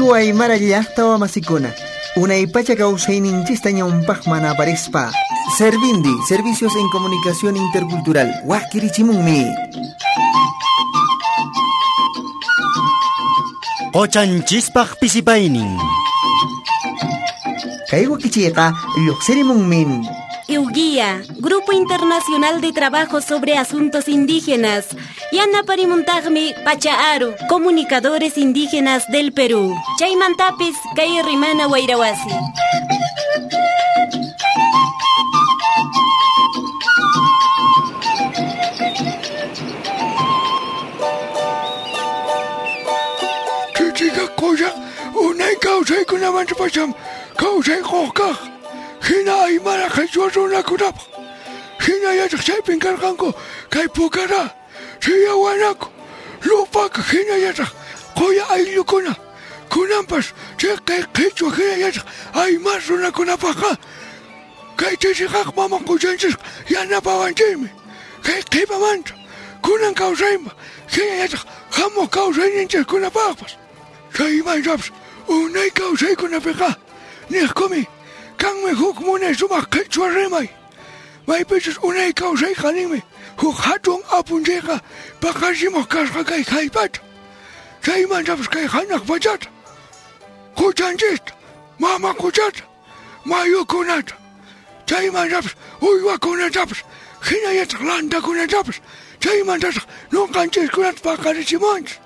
Qhichwa Aymara llaqta wamasikuna, unay pacha kawsayninchista ñawpaqman aparispa. Servindi, Servicios en Comunicación Intercultural, wakirichimunmi. Qochanchispaq pisipaynin. Kay wakichiyqa lluqsirimunmin. IUGIA, Grupo Internacional de Trabajo sobre Asuntos Indígenas. Yanaparimuntaqmi Pachaaru, Comunicadores Indígenas del Perú. Chaymantapis kay Rimana Wayrawasi. Chichika qocha unay kawsaykunamanta pacham kawsay quq. Hina Aymara qhichwa runakunapaq. Hina yachaq chaypin karqanku kay Pukara, Tiahuanaco, Lupaka hina yachaq quya ayllukuna. Kunanpas chay kay qhichwa hina yachaq Aymara runakunapaqqa kay Titiqaqa mama quchanchisqa yanapawanchikmi. Kay qhipamanta kunan kawsayma hina yachaq hamuq kawsayninchikkunapaqpas. Chaymantapas unay kawsaykunapiqa niqkumi kanmi huk munay sumaq qhichwa rimay. Maypichus unay kawsayqa ninmi huk hatun apunchayqa paqarichimuq kasqa kay jallp'ata. Chaymantapas kay hanaq pachata, quchanchista, mama quchata, mayukunata, chaymantapas uywakunatapas, hinallataq lantakunatapas, chaymantataq ñuqanchiskunata paqarichimunchis.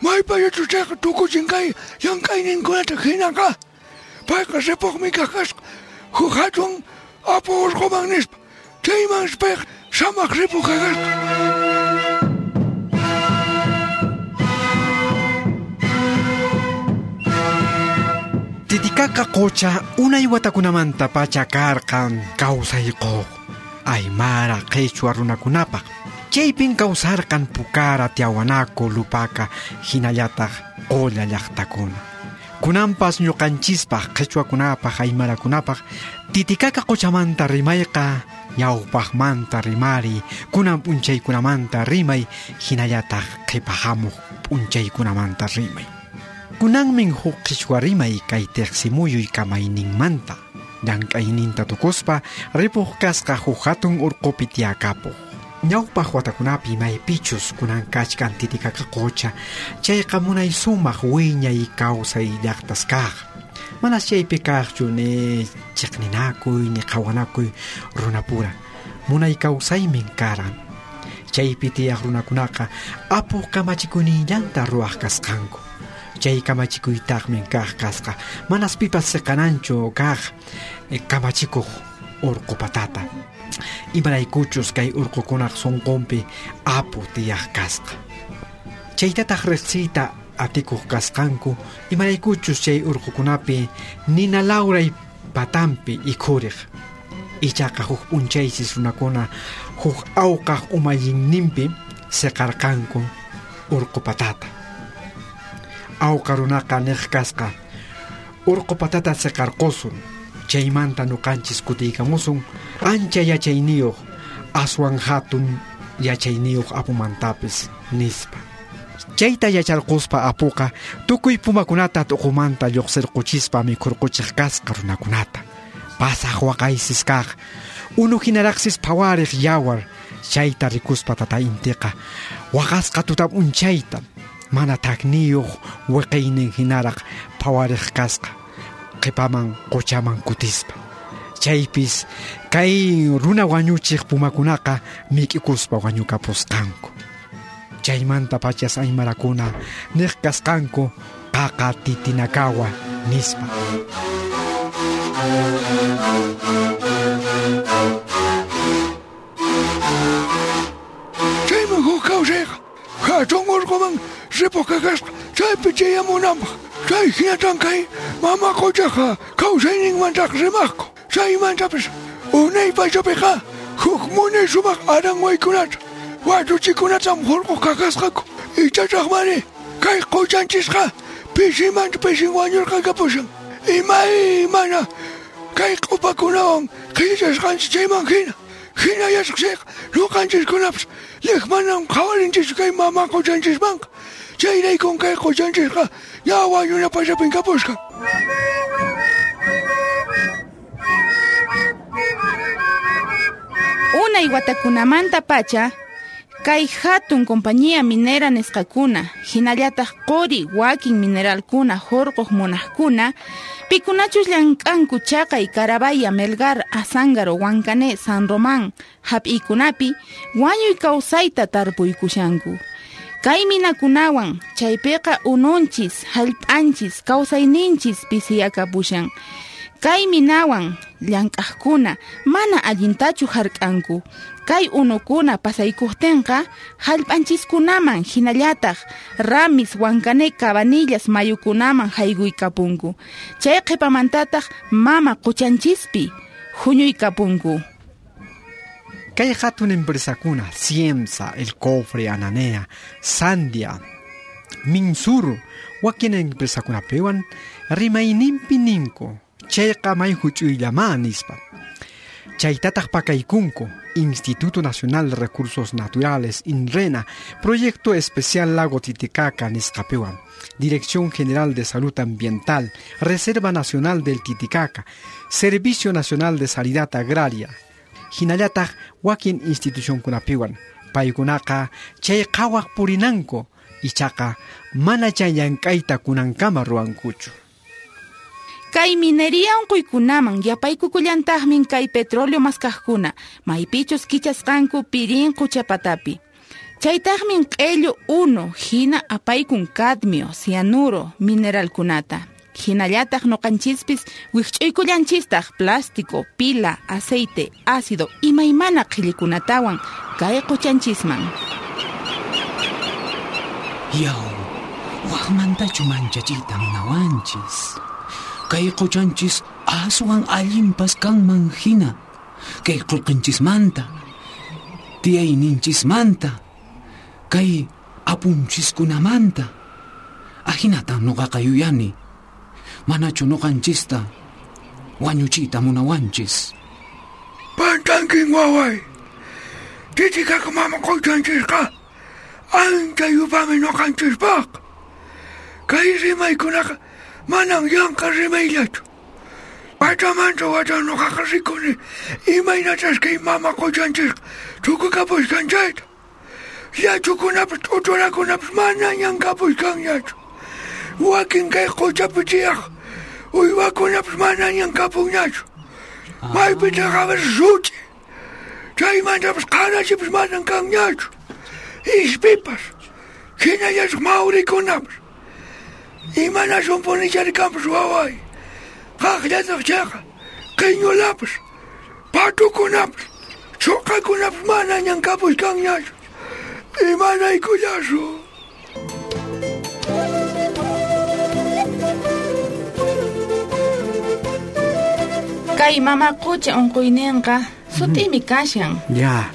Maypachachus chayqa tukuchin kay llank'ayninkunata hinaqa payqa ripuqmi kaq kasqa huk hatun apu urquman nispa. Chaymansi payqa samaq ripuq kasqa. Titicaca qocha unay watakunamanta pacha karqan kawsay quq Aymara qhichwa runakunapaq. Chaypin kawsarqan Pukara, Tiahuanaco, Lupaka, hinallataq Qolla llaqtakuna. Kunanpas ñuqanchispaq qhichwakunapaq aymarakunapaq Titicaca qochamanta rimayqa ñawpaqmanta rimari, kunan p'unchaykunamanta rimay, hinallataq qhipahamuq p'unchaykunamanta rimay. Kunanmin huk qhichwa rimay kay tiqsimuyuy kamayninmanta llank'ayninta tukuspa ripuq kasqa huk hatun urqupi tiyakapuq. Ñawpaq watakunapi maypichus kunan kachkan Titicaca qocha, chayqa munay sumaq wiñay kawsay llaqtas kaq. Manas chaypi kaqchu ni chiqninakuy ni qhawanakuy runapura. Munay kawsaymin karan. Chaypi tiyaq runakunaqa apuq kamachikuyninllanta ruwaq kasqanku. Chay kamachikuytaqmin kaq kasqa. Manas pipas siqananchu kaq kamachikuq urqu patata. Imaraykuchus kay urqukunaq sunqunpi apu tiyaq kasqa. Chaytataq riqsiyta atikuq kasqanku, imaraykuchus chay urqukunapi nina lawray patampi ikhuriq. Ichaqa huk p'unchaysis runakuna huk awqaq umallinninpi siqarqanku urqu patata. Awqa runaqa niq kasqa, urqu patata siqarqusun, chaymanta ñuqanchis kutiykamusun ancha yachayniyuq, aswan hatun yachayniyuq apumantapis nispa. Chayta yacharquspa apuqa tukuy pumakunata t'uqumanta lluqsirquchispa mikhurquchiq kasqa runakunata. Pasaq waqaysis kaq, unu hinaraqsis phawariq yawar, chayta rikuspa tata intiqa waqasqa tuta p'unchayta mana takniyuq wiqiynin hinaraq phawariq kasqa qhipaman quchaman kutispa. Chaypis kay runa wañuchiq pumakunaqa mik'ikuspa wañukapusqanku. Chaymanta pachas aymarakuna niq kasqanku qaqa titinakawa nispa. Chayman huk kawsayqa hatun urquman ripuq kasqa chaypi chayamunanpaq. Chay hinatan kay mama quchaqa kawsayninmantaq rimaqku. Chaymantapas unay pachapiqa huk munay sumaq aranwaykunata watuchikunatam hurquq kakasqaku. Ichataqmari kay quchanchisqa pisimanta pisin wañurqakapushan. Imaymana kay q'upakunawan qhillasqanchis chayman hina. Hina yachaq chayqa ñuqanchiskunapas liqmanam qhawarinchis kay mama quchanchismanqa. Chayraykun kay qochanchisqa ña wañuna pachapin kapusqa. Unay watakunamanta pacha, kay hatun compañía minera nisqakuna, hinallataq quri wakin mineralkuna hurquq munaqkuna, pikunachus llank'anku chaqay Carabaya, Melgar, Azángaro, Huancané, San Román hap'iykunapi wañuy kawsayta tarpuykushanku. Kay minakunawan chaypiqa ununchis, hallp'anchis, kawsayninchis pisiyakapushan. Kay minawan llank'aqkuna mana allintachu hark'anku. Kay unukuna pasaykuqtinqa hallp'anchiskunaman hinallataq Ramis, Huancané, Cabanillas mayukunaman haykuykapunku. Chay qhipamantataq mama quchanchispi huñuykapunku. Kay hatun empresakuna, Ciemsa, El Cofre, Ananea, Sandia, Minsur, wakin empresakunapiwan rimayninpi ninku, chayqa may huch'uyllama nispa. Chaytataq pakaykunku, Instituto Nacional de Recursos Naturales, INRENA, Proyecto Especial Lago Titicaca nisqapiwan, Dirección General de Salud Ambiental, Reserva Nacional del Titicaca, Servicio Nacional de Sanidad Agraria, hinallataq wakin institucionkunapiwan, paykunaqa chay qhawaq purinanku, ichaqa mana chay llank'ayta kunankama ruwankuchu. Kay minería unquykunaman yapaykukullantaqmin kay petróleo maskaqkuna, maypichus kichasqanku pirin quchapatapi. Chaytaqmin q'ellu unu hina apaykun cadmio, cianuro, mineralkunata. Hinallataq noqanchispis wikch'uykullanchistaq plástico, pila, aceite, ácido imaymana qhillikunatawan kay quchanchisman. Yaw, waqmantachu manchachiyta munawanchis. Kay quchanchis aswan allinpas kanman hina. Kay qullqinchismanta, tiyayninchismanta, kay apunchiskunamanta. Ahinatan noqaqa yuyani. Manachu noqanchista wañuchiyta munawanchis. Pantankin waway. Titicaca mama quchanchisqa ancha yupami noqanchispaq. Kay rimaykunaqa manan yanqa rimayllachu. Pachamanta wata noqaqa rikuni imaynachas kay mama quchanchisqa tukukapusqan chayta. Llachukunapas t'uchurakunapas manañan kapusqanñachu. Wakin kay quchapi tiyaq uywakunapas manañan kapunñachu. Maypitaqa such'i. Chaymantapas qarachipas manan kanñachu. Ispipas, hinallataq mawrikunapas. Imanasunpuni charikanpas waway. Qaqllataq chayqa qiñulapas, patukunapas, chuqakunapas manañan kapusqanñachu. Imanaykullasu. Kay mama qucha unquyninqa sut'imi kashan. Ya.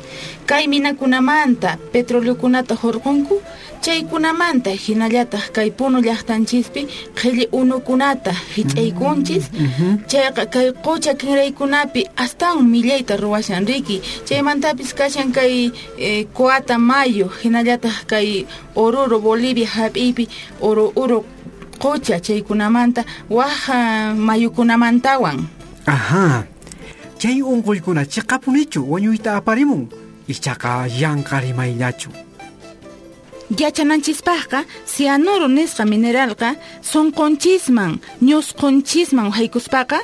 Kay minakunamanta petroleokunata hurqunku, chaykunamanta hinallataq kay Puno llaqtanchispi qhilli unukunata hich'aykunchis. Chayqa kay qucha kinraykunapi astawan millayta ruwashan riki. Chaymantapis kashan kay Coata Mayo, hinallataq kay Oruro Bolivia hap'iypi Oro qucha chaykunamanta waj mayukunamantawan. Ajá. Chay unquykuna chiqapunichu wañuyta aparimun, ichaqa yanqa rimayllachu. Yachananchispaqqa cianuro nisqa mineralqa sunqunchisman, ñusqunchisman haykuspaqa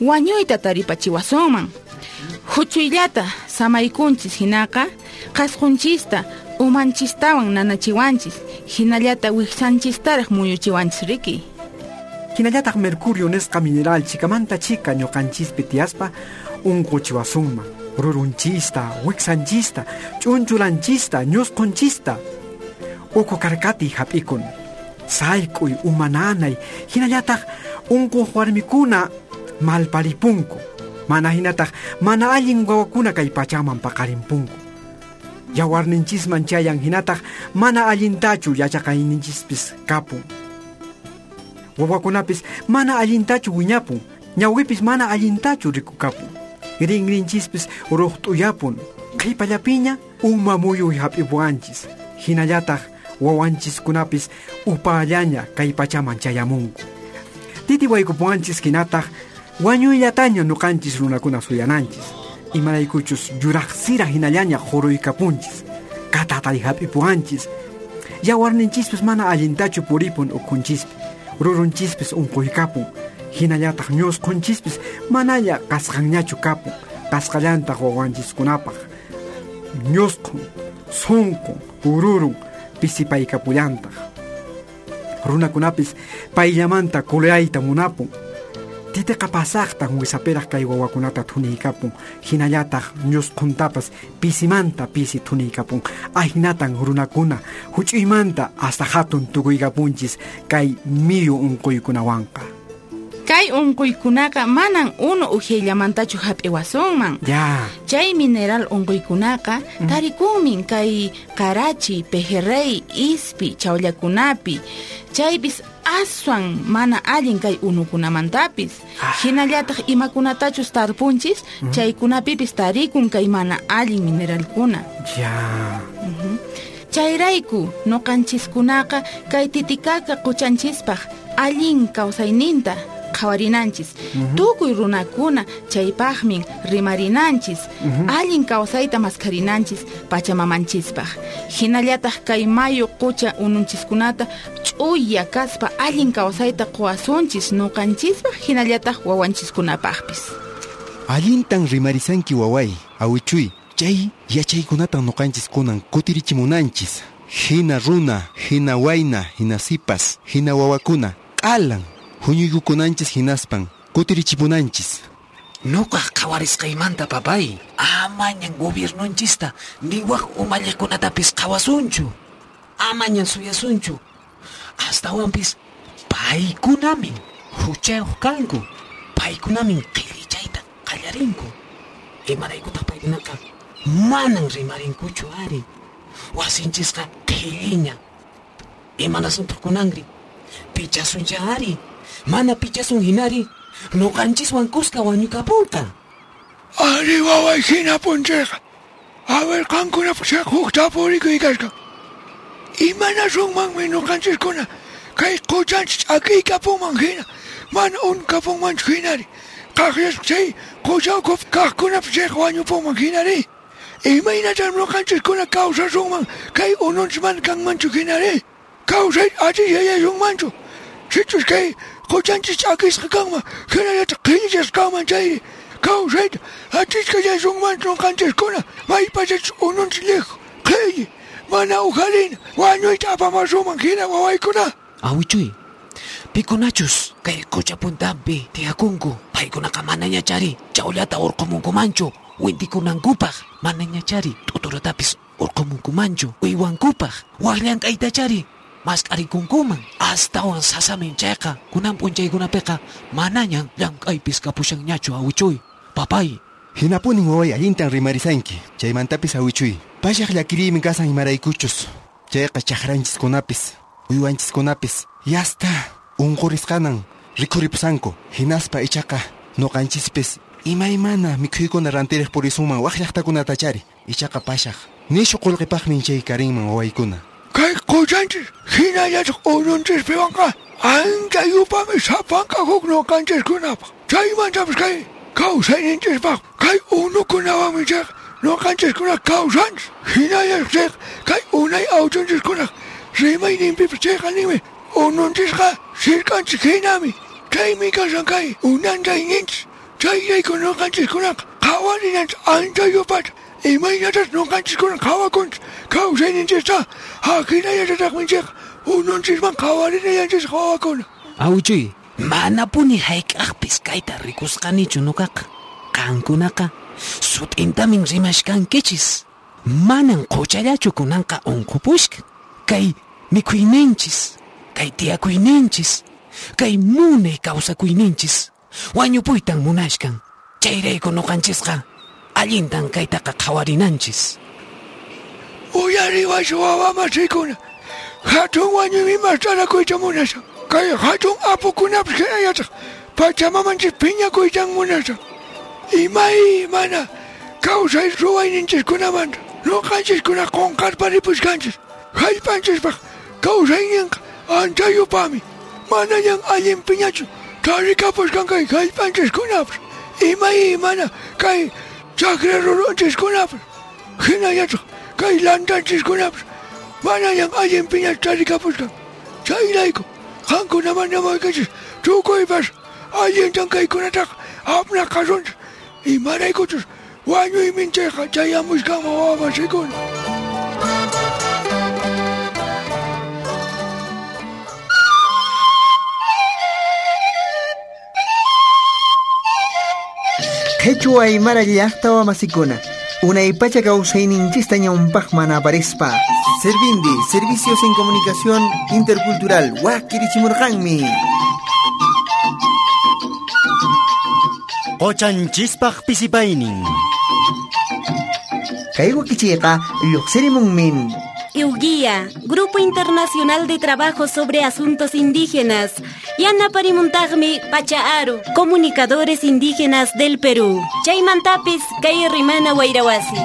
wañuyta taripachiwasunman. Huchuyllata samaykunchis hinaqa qasqunchista umanchistawan nanachiwanchis, hinallata wiksanchistaraq muyuchiwanchis riki. Hinallataq mercurio nisqa mineral chikamanta chika ñuqanchispi tiyaspa unquchiwasunman, rurunchista, wiksanchista, ch'unchulanchista, ñusqunchista. Uku karkati hap'ikun, sayk'uy, umananay, hinallataq unquq warmikuna malparipunku, mana hinataq mana allin wawakuna kay pachaman paqarinpunku. Yawarninchisman chayan hinataq mana allintachu yachaqayninchispis kapun. Wawakunapis mana allintachu wiñapun, ñawipis mana allintachu rikukapun. Rinrinchispis ruqt'uyapun, qhipallapiña uma muyuy hap'ipuwanchis. Hinallataq Wawanchiskunapis upallaña kay pachaman chayamunku. Titi waykupuwanchis hinataq wañuyllataña nuqanchis runakuna suyananchis. Imaraykuchus yuraqsira hinallaña qhuruykapunchis. Katatay hap'ipuwanchis. Yawarninchispis mana allintachu puripun ukhunchispi. Rurunchispis unquykapun. Hinallataq ñusqhunchispis manalla kasqanñachu kapun. Kasqallantaq wawanchiskunapaq. Ñusqhun, sunqun, ururun pisipaykapullantaq. Runakunapis payllamanta kuleayta munapun. Titiqa pasaqtan wisapiraq kay wawakunata thuniykapun. Hinallataq ñusqhuntapas pisimanta pisi thuniykapun. Ahinatan runakuna huch'uymanta hasta hatun tukuykapunchis kay miyu unquykunawanqa. Kay unquykunaqa manan unu uhyayllamantachu hap'iwasunman. Ya. Chay mineral unquykunaqa tarikunmin kay qarachi, pejerrey, ispi, chawllakunapi. Chaypis aswan mana allin kay unukunamantapis. Hinallataq imakunatachus tarpunchis, chaykunapipis tarikun kay mana allin mineralkuna. Ya. Chayrayku nuqanchiskunaqa kay Titicaca quchanchispaq allin kawsayninta qhawarinanchis. Tukuy runakuna chaypaqmin rimarinanchis. Allin kawsayta maskharinanchis pachamamanchispaq. Hinallataq kay mayu qucha ununchiskunata ch'uya kaspa allin kawsayta quwasunchis nuqanchispaq hinallataq wawanchiskunapaqpis. Allintan rimarisanki waway, awichuy. Chay yachaykunatan nuqanchis kunan kutirichimunanchis. Hina runa, hina wayna, hina sipas, hina wawakuna, q'alan huñuykukunanchis hinaspan kutirichipunanchis. Nuqaq qhawarisqaymanta papay, amañan gobiernonchista ni wak umalliqkunatapis qhawasunchu. Amañan suyasunchu. Astawanpis paykunamin huchayuq kanku. Paykunamin qhillichayta qallarinku. Imaraykutaq paykunaqa manan rimarinkuchu ari. Wasinchisqa qhilliña. Imanasuntaq kunanri? Pichasuncha ari. Mana pichasun hinari, nuqanchiswan kuska wañukapunqa. Ari waway hinapunchayqa. A ver, qankunapaq huk tapurikuy kasqa. Imanasunmanmi nuqanchiskuna kay quchanchis ch'akiykapunman hina, mana unkapunmanchu hinari. Qaqllaspa chay qucha ukhupi kaqkunapas chayqa wañupunman hinari. Imaynatan nuqanchiskuna kawsasunman kay ununchis mana kanmanchu hinari. Kawsay atishallasunmanchu. Sichus kay quchanchis ch'akisqa kanman, hinallataq qhillichasqa kanman chayri. Kawsayta atishallasunmanchu nuqanchiskuna maypachachus ununchis liqhu, qhilli, mana ujarina, wañuyta apamasuman hina wawaykuna. Awichuy, pikunachus kay qucha puntanpi tiyakunku, paykunaqa manañachari chawllata urqumunkumanchu wintikunankupaq, manañachari t'uturatapis urqumunkumanchu uywankupaq, wak llank'aytachari mask'arikunkuman. Astawan sasamin chayqa kunan p'unchaykunapiqa manañan llank'aypis kapushanñachu awichuy, papay. Hinapunin waway allintan rimarisanki. Chaymantapis awichuy, pashaq llakiriymi kasan imaraykuchus. Chayqa chaqranchiskunapis, uywanchiskunapis yasta unqurisqanan rikhuripusanku. Hinaspa ichaqa nuqanchispis imaymana mikhuykuna rantiriq purisunman wak llaqtakunatachari. Ichaqa pashaq nishu qullqipaqmin chay karinman wawaykuna. Kay quchanchis hinallataq ununchispiwanqa ancha yupami sapanka huk nuqanchiskunapaq. Chaymantapis kay kawsayninchispaq kay unukunawanmi chayqa nuqanchiskuna kawsanchis. Hinallataq chayqa kay unay awchunchiskunaq rimayninpipas chayqa ninmi ununchisqa sirk'anchis hinami. Chaymi kasan kay unanchayninchis. Chayrayku nuqanchiskunaqa qhawarinanchis ancha yupata. Imaynatas nuqanchiskuna qhawakunchis kawsayninchista ahinallatataqmi chayqa ununchisman qhawarinallanchis wawakuna. Awichuy, manapuni hayk'aqpis kayta rikusqanichu nuqaqa. Qankunaqa sut'intamin rimashkankichis. Manan quchallachu kunanqa unqupushka. Kay mikhuyninchis, kay tiyakuyninchis, kay munay kawsakuyninchis wañupuytan munashkan. Chayrayku nuqanchisqa allintan kaytaqa qhawarinanchis. Uyariwaychu wawamasikuna, hatun wañuymi mast'arakuyta munashan. Kay hatun apukunapis hinallataq pachamamanchis phiñakuytan munashan. Imaymana kawsay ruwayninchiskunamanta nuqanchiskuna qunqarpa ripushkanchis. Hallp'anchispaq Kawsayninqa anchayupami manañan allinpiñachu tarikapusqan kay jallp'anchiskunapas imaymana kay chakra rurunchiskunapas hinallataq kay lantanchiskunapas manañan allinpiñachu tarikapusqan. Chayrayku qankunaman namaykichis tukuypas allintan kaykunataqa apnaqasunchis imaraykuchus wañuymin chayqa chayamushkanman wawamasikuna. Qhichwa Aymara llaqta wamasikuna unaypacha kawsayninchista ñawpaqman aparispa. Servindi, Servicios en Comunicación Intercultural, wakirichimurqanmi. Qochanchispaq pisipaynin. Kay wakichiyqa lluqsirimunmin. IUGIA, Grupo Internacional de Trabajo sobre Asuntos Indígenas. Yanaparimuntaqmi Pachaaru, Comunicadores Indígenas del Perú. Chaymantapis kay Rimana Wayrawasi.